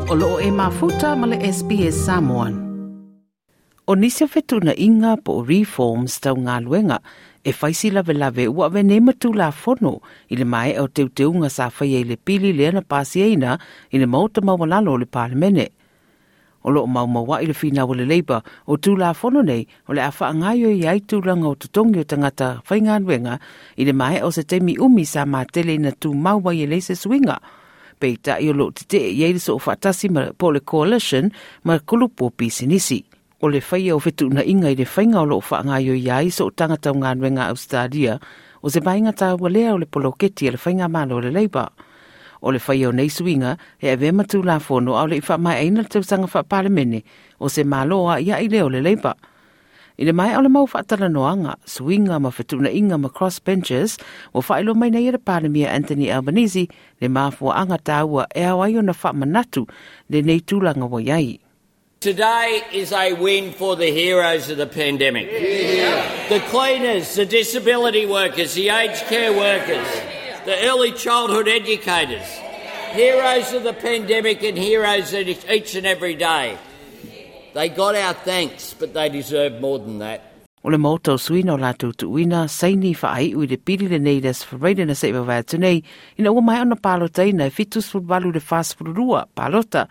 O loo e mafuta ma le SBS Samoan. O nisi o fetuunaiga po o reforms tau galuega e fai si lavelave ua ave nei ma Tulafono i le maea o teuteuga sa faia i le pili lea na pasiaina i le Maota Maualalo o le Palemene. O loo maumaua'i le finau a le Labour o Tulafono nei o le a faagaoioi ai tulaga o totogi o tagata faigaluega i le maea o se taimi umi sa matele ina tumau ai e leai se suiga. Peitai o loo tetee i ai le soofaatasi ma po o le coalition ma kulupu o pisinisi. O le faia o fetuunaiga i le faiga o loo faagaoioi ai sootaga tau galuega a Ausetalia o se vaega taua lea o le poloketi a le faigamalo a le Labour. O le faia o nei suiga e avea ma Tulafono a o le i faamaeaina le tausaga faapalemene o se Malo aiai lea o le Labour. I le maea o le mau faatalanoaga, suiga ma fetuunaiga ma crossbenchers, ua faailoa mai nei e le Palemia Anthony Albanese le mafuaaga taua e ao ai ona faamanatu lenei tulaga ua i ai. Today is a win for the heroes of the pandemic. The cleaners, the disability workers, the aged care workers, the early childhood educators. Heroes of the pandemic and heroes each and every day. They got our thanks, but they deserve more than that. O le Maota o Sui na o latou tuuina saini faaiu i le pili lenei i le Aso Faraile na se i vavae atu nei, ina ua maea ona palotaina e 78 i le 42 palota.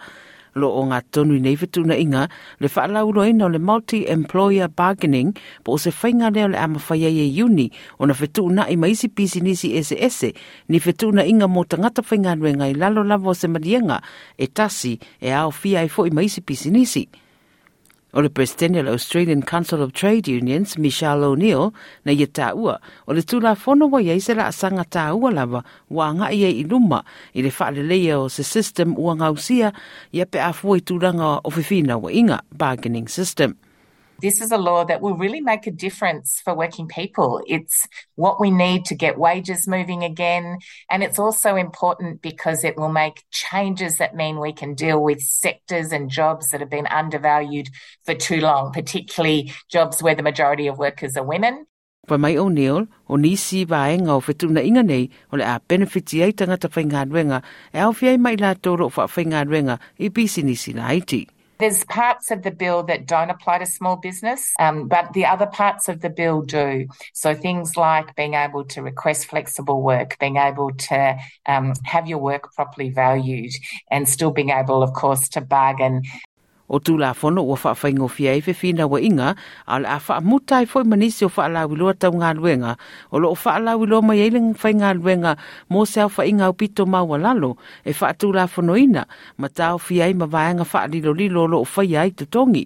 Lo o ogatotonu i nei fetuunaiga le faalauiloaina o le Multi-Employer Bargaining po o se faiga lea o le a mafai ai e iuni ona fetuunai ma isi pisinisi eseese ni fetuunaiga mo tagata faigaluega i lalo lava o se maliega e tasi e aofia ai foi ma isi pisinisi. O le Peresetene o le Australian Council of Trade Unions, Michelle O'Neill, na ia taua, o le Tulafono ua i ai se laasaga taua lava ua agai ai i luma i le faaleleia o se system ua gausia ia pe a fua i tulaga o fefinauaiga, bargaining system. This is a law that will really make a difference for working people. It's what we need to get wages moving again. And it's also important because it will make changes that mean we can deal with sectors and jobs that have been undervalued for too long, particularly jobs where the majority of workers are women. Fai mai O'Neill, o nisi vaega o fetuunaiga nei o le a benefiti ai tagata faigaluega e aofia ai ma i latou o lo o faafaigaluega i pisinisi laiti. There's parts of the bill that don't apply to small business, but the other parts of the bill do. So things like being able to request flexible work, being able to have your work properly valued, and still being able, of course, to bargain. O Tulafono ua faafaigofie ai fefinauaiga, a o le a faamuta ai foi ma nisi o faalauiloa tau galuega o lo o faalauiloa mai ai le faigaluega mo se aofaiga aupito maualalo e faatulafonoina ma taofia ai ma vaega faalilolilo o lo o faia ai totogi.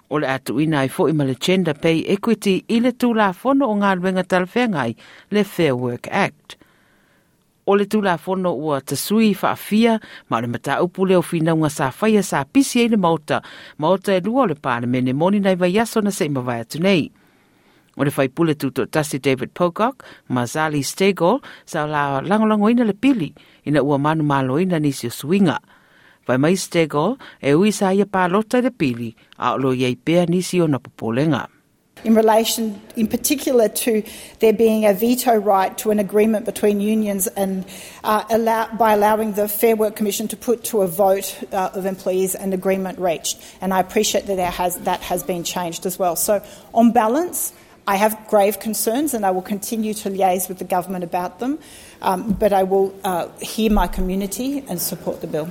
O le a tuuina ai foi ma le Gender Pay Equity i le Tulafono o Galuega Talafeagai, le Fair Work Act. O le Tulafono ua tasui faafia ma o le mataupu lea o finauga sa faia sa pisi ai le Maota, Maota e lua o le Palemene moni nai vaiaso na se i mavae atu nei. O le faipule tutoatasi David Pocock ma Zali Steggall sa la lagolagoina le pili ina ua manumaloina nisi o suiga. Fai mai Steggall e ui sa ia palota i le pili a o lo o i ai pea nisi ona popolega. In relation in particular to there being a veto right to an agreement between unions and allow, by allowing the Fair Work Commission to put to a vote of employees an agreement reached. And I appreciate that there has, that has been changed as well. So on balance, I have grave concerns and I will continue to liaise with the government about them, but I will hear my community and support the bill.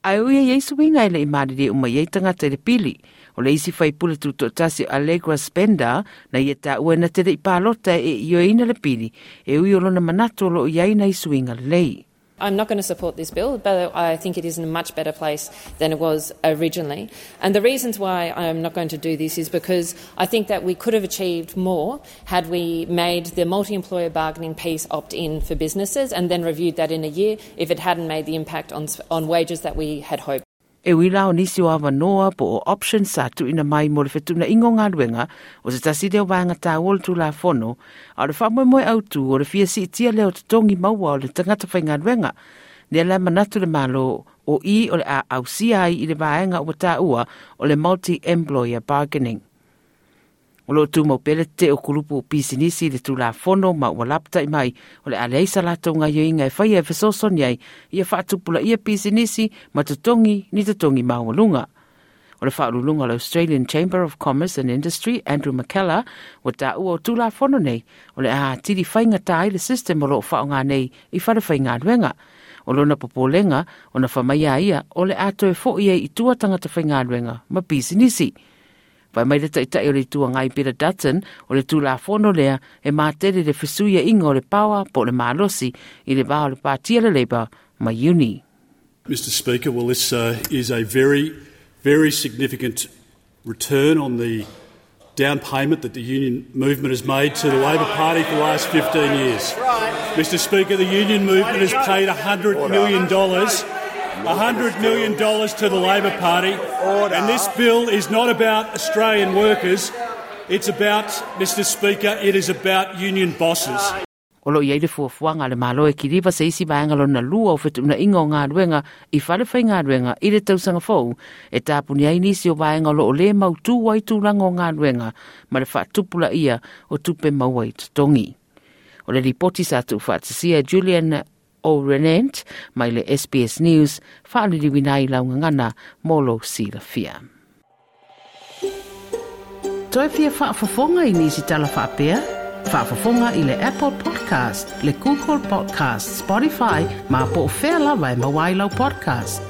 Ae ui e i ai suiga e le i malilie uma i ai tagata i le pili. O le isi faipule tutoatasi o Allegra Spender na ia taua na te le i palota e ioeina le pili e ui o lona manatu o lo o i ai nai suiga lelei. I'm not going to support this bill, but I think it is in a much better place than it was originally. And the reasons why I'm not going to do this is because I think that we could have achieved more had we made the multi-employer bargaining piece opt-in for businesses and then reviewed that in a year if it hadn't made the impact on, on wages that we had hoped. E ui la o nisi o avanoa po o options sa tuuina mai mo le fetuunaiga o galuega, o se tasi lea o vaega taua o le Tulafono, a o le faamoemoe autu o le fia siitia lea o totogi maua o le tagata faigaluega. Lea la e manatu le Malo o i o le a ausia ai i le vaega ua taua o le multi-employer bargaining. O lo tumau pea le tetee o kulupu o pisinisi i le Tulafono ma ua lapatai mai o le a leai sa latou gaioiga e faia e fesoasoani ai ia faatupulaia pisinisi ma totogi ni totogi maualuga. O le faauluuluga o le Australian Chamber of Commerce and Industry, Andrew McKellar, ua taua o Tulafono nei o le a atili faigata ai le system o lo o faaaoga nei i fale faigaluega. O lona popolega, ona fai mai a ia o le a toe foi ai i tua tagata faigaluega ma pisinisi. Fai mai le Taitai o le Itu Agai Peter Dutton, o le Tulafono lea e matele le fesuiaiga o le power po o le malosi i le va o le Pati a le Labour ma Uni. Mr Speaker, well this is a very, very significant return on the down payment that the union movement has made to the Labor Party for the last 15 years. Mr Speaker, the union movement has paid $100 million $100 million to the Labor Party. And this bill is not about Australian workers. It's about, Mr Speaker, it is about union bosses. O lo o i ai le fuafuaga a le Malo e kiliva se isi vaega lona lua o fetuunaiga o galuega i fale faigaluega i le tausaga fou e tapuni ai nisi o vaega o lo o le mautū ai tulaga o galuega ma le faatupulaia o tupe maua i totogi. O le lipoti sa tuufaatasia e Julian O'Renant mai le SBS News, faaliliuina ai lau gagana mo lou silafia. Toe fia faafofoga i nisi tala faapea? Faafofoga i le Apple Podcast, le Google Podcast, Spotify, ma po o fea lava e maua ai lau podcast.